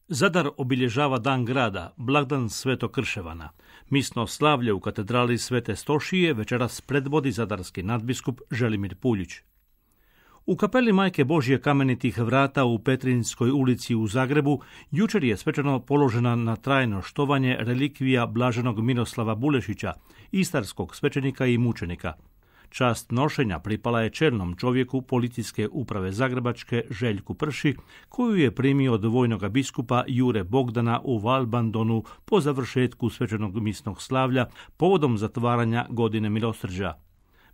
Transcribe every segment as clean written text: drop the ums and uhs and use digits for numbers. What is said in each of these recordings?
Zadar obilježava dan grada, blagdan Svetog Krševana. Misno slavlje u katedrali Svete Stošije večeras predvodi zadarski nadbiskup Želimir Puljić. U kapeli Majke Božje Kamenitih vrata u Petrinjskoj ulici u Zagrebu jučer je svečano položena na trajno štovanje relikvija blaženog Miroslava Bulešića, istarskog svećenika i mučenika. Čast nošenja pripala je čelnom čovjeku policijske uprave Zagrebačke Željku Prši, koju je primio od vojnog biskupa Jure Bogdana u Valbandonu po završetku svečanog misnog slavlja povodom zatvaranja godine milosrđa.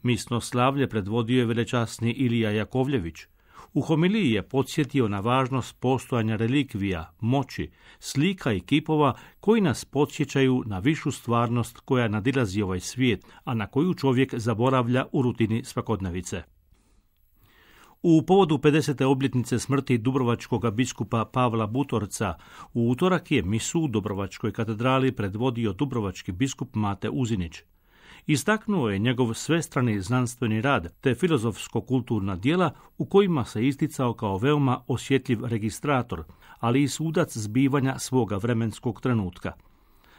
Misno slavlje predvodio je velečasni Ilija Jakovljević. U homiliji je podsjetio na važnost postojanja relikvija, moći, slika i kipova koji nas podsjećaju na višu stvarnost koja nadilazi ovaj svijet, a na koju čovjek zaboravlja u rutini svakodnevice. U povodu 50. obljetnice smrti dubrovačkog biskupa Pavla Butorca u utorak je misu u Dubrovačkoj katedrali predvodio dubrovački biskup Mate Uzinić. Istaknuo je njegov svestrani znanstveni rad te filozofsko-kulturna djela u kojima se isticao kao veoma osjetljiv registrator, ali i sudac zbivanja svoga vremenskog trenutka.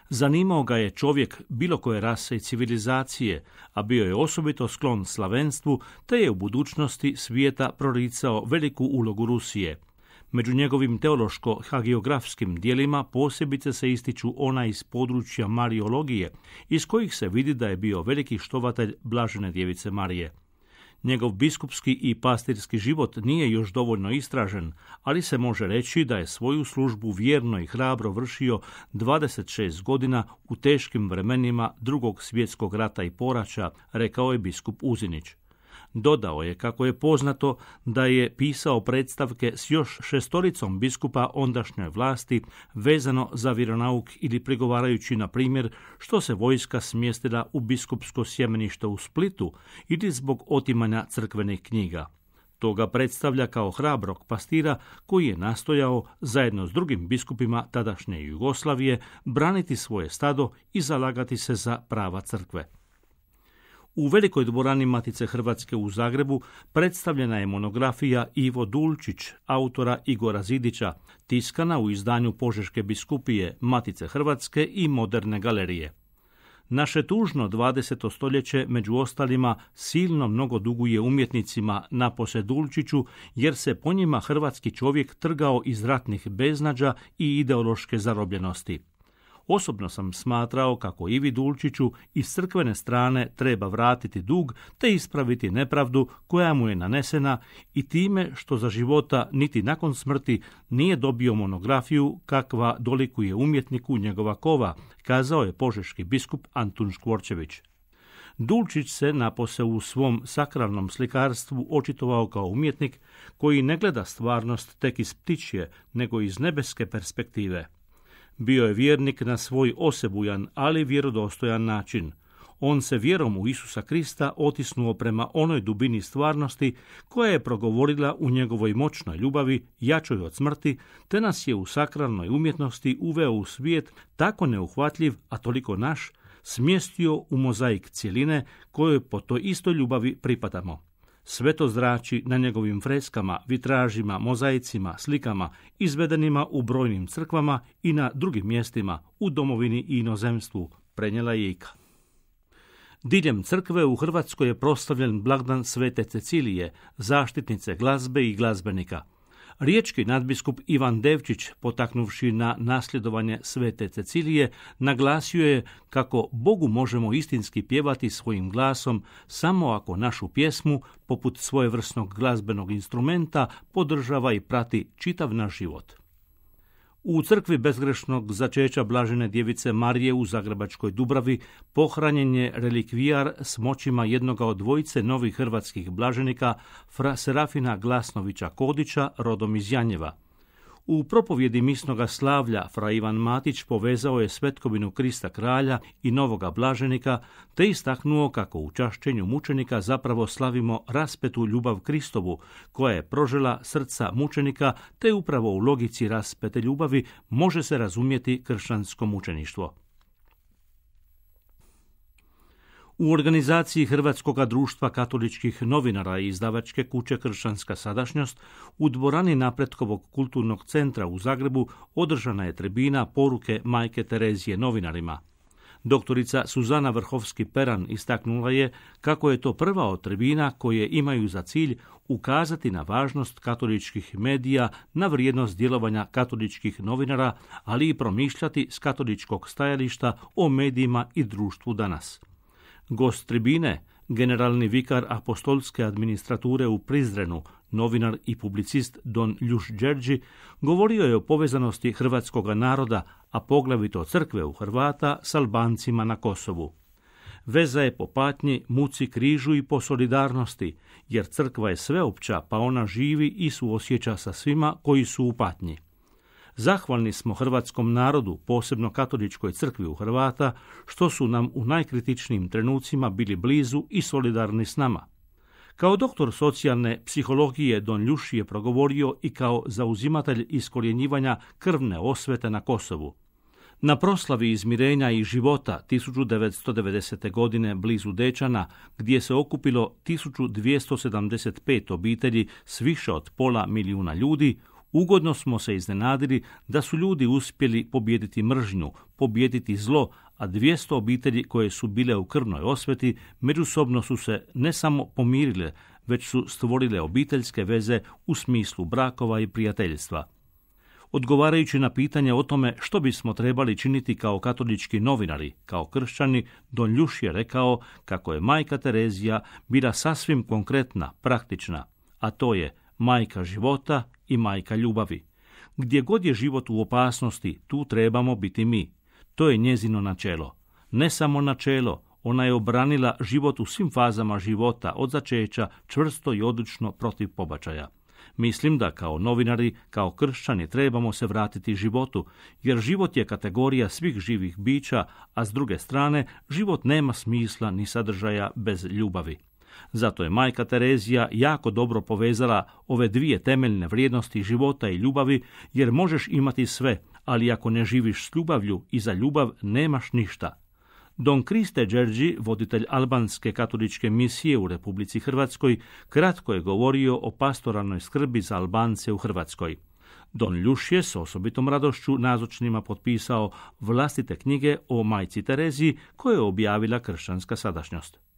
Zanimao ga je čovjek bilo koje rase i civilizacije, a bio je osobito sklon slavenstvu, te je u budućnosti svijeta proricao veliku ulogu Rusije. Među njegovim teološko-hagiografskim dijelima posebice se ističu ona iz područja mariologije, iz kojih se vidi da je bio veliki štovatelj blažene djevice Marije. Njegov biskupski i pastirski život nije još dovoljno istražen, ali se može reći da je svoju službu vjerno i hrabro vršio 26 godina u teškim vremenima Drugog svjetskog rata i poraća, rekao je biskup Uzinić. Dodao je kako je poznato da je pisao predstavke s još 6 biskupa ondašnjoj vlasti vezano za vjeronauk ili prigovarajući na primjer što se vojska smjestila u biskupsko sjemenište u Splitu ili zbog otimanja crkvenih knjiga. To ga predstavlja kao hrabrog pastira koji je nastojao, zajedno s drugim biskupima tadašnje Jugoslavije, braniti svoje stado i zalagati se za prava crkve. U velikoj dvorani Matice Hrvatske u Zagrebu predstavljena je monografija Ivo Dulčić, autora Igora Zidića, tiskana u izdanju Požeške biskupije, Matice Hrvatske i Moderne galerije. Naše tužno 20. stoljeće, među ostalima, silno mnogo duguje umjetnicima napose Dulčiću, jer se po njima hrvatski čovjek trgao iz ratnih beznađa i ideološke zarobljenosti. Osobno sam smatrao kako Ivi Dulčiću iz crkvene strane treba vratiti dug te ispraviti nepravdu koja mu je nanesena i time što za života niti nakon smrti nije dobio monografiju kakva dolikuje umjetniku njegova kova, kazao je požeški biskup Antun Škvorčević. Dulčić se napose u svom sakralnom slikarstvu očitovao kao umjetnik koji ne gleda stvarnost tek iz ptičje, nego iz nebeske perspektive. Bio je vjernik na svoj osebujan, ali vjerodostojan način. On se vjerom u Isusa Krista otisnuo prema onoj dubini stvarnosti koja je progovorila u njegovoj moćnoj ljubavi, jačoj od smrti, te nas je u sakralnoj umjetnosti uveo u svijet tako neuhvatljiv, a toliko naš, smjestio u mozaik cjeline kojoj po toj istoj ljubavi pripadamo. Sve to zrači na njegovim freskama, vitražima, mozaicima, slikama, izvedenima u brojnim crkvama i na drugim mjestima, u domovini i inozemstvu, prenijela je Ika. Diljem crkve u Hrvatskoj je proslavljen blagdan Svete Cecilije, zaštitnice glazbe i glazbenika. Riječki nadbiskup Ivan Devčić, potaknuvši na nasljedovanje Svete Cecilije, naglasio je kako Bogu možemo istinski pjevati svojim glasom samo ako našu pjesmu, poput svojevrsnog glazbenog instrumenta, podržava i prati čitav naš život. U crkvi bezgrešnog začeća blažene djevice Marije u Zagrebačkoj Dubravi pohranjen je relikvijar s moćima jednoga od dvojice novih hrvatskih blaženika, fra Serafina Glasnovića Kodića, rodom iz Janjeva. U propovjedi misnoga slavlja fra Ivan Matić povezao je svetkovinu Krista kralja i novoga blaženika, te istaknuo kako u čašćenju mučenika zapravo slavimo raspetu ljubav Kristovu, koja je prožela srca mučenika, te upravo u logici raspete ljubavi može se razumjeti kršćansko mučeništvo. U organizaciji Hrvatskog društva katoličkih novinara i izdavačke kuće Kršćanska sadašnjost u dvorani Napretkovog kulturnog centra u Zagrebu održana je tribina poruke Majke Terezije novinarima. Doktorica Suzana Vrhovski-Peran istaknula je kako je to prva od tribina koje imaju za cilj ukazati na važnost katoličkih medija, na vrijednost djelovanja katoličkih novinara, ali i promišljati s katoličkog stajališta o medijima i društvu danas. Gost tribine, generalni vikar apostolske administrature u Prizrenu, novinar i publicist Don Ljuš Đerđi, govorio je o povezanosti hrvatskog naroda, a poglavito crkve u Hrvata s Albancima na Kosovu. Veza je po patnji, muci, križu i po solidarnosti, jer crkva je sveopća, pa ona živi i suosjeća sa svima koji su u patnji. Zahvalni smo hrvatskom narodu, posebno katoličkoj crkvi u Hrvata, što su nam u najkritičnijim trenucima bili blizu i solidarni s nama. Kao doktor socijalne psihologije Don Ljuš je progovorio i kao zauzimatelj iskorjenjivanja krvne osvete na Kosovu. Na proslavi izmirenja i života 1990. godine blizu Dečana, gdje se okupilo 1275 obitelji s više od 500.000 ljudi, ugodno smo se iznenadili da su ljudi uspjeli pobijediti mržnju, pobijediti zlo, a 200 obitelji koje su bile u krvnoj osveti međusobno su se ne samo pomirile, već su stvorile obiteljske veze u smislu brakova i prijateljstva. Odgovarajući na pitanje o tome što bismo trebali činiti kao katolički novinari, kao kršćani, Don Ljuš je rekao kako je Majka Terezija bila sasvim konkretna, praktična, a to je majka života i majka ljubavi. Gdje god je život u opasnosti, tu trebamo biti mi. To je njezino načelo. Ne samo načelo, ona je obranila život u svim fazama života, od začeća, čvrsto i odlučno protiv pobačaja. Mislim da kao novinari, kao kršćani trebamo se vratiti životu, jer život je kategorija svih živih bića, a s druge strane, život nema smisla ni sadržaja bez ljubavi. Zato je Majka Terezija jako dobro povezala ove dvije temeljne vrijednosti života i ljubavi, jer možeš imati sve, ali ako ne živiš s ljubavlju i za ljubav nemaš ništa. Don Kriste Đerđi, voditelj albanske katoličke misije u Republici Hrvatskoj, kratko je govorio o pastoralnoj skrbi za Albance u Hrvatskoj. Don Ljuš je s osobitom radošću nazočnima potpisao vlastite knjige o Majci Tereziji koje je objavila Kršćanska sadašnjost.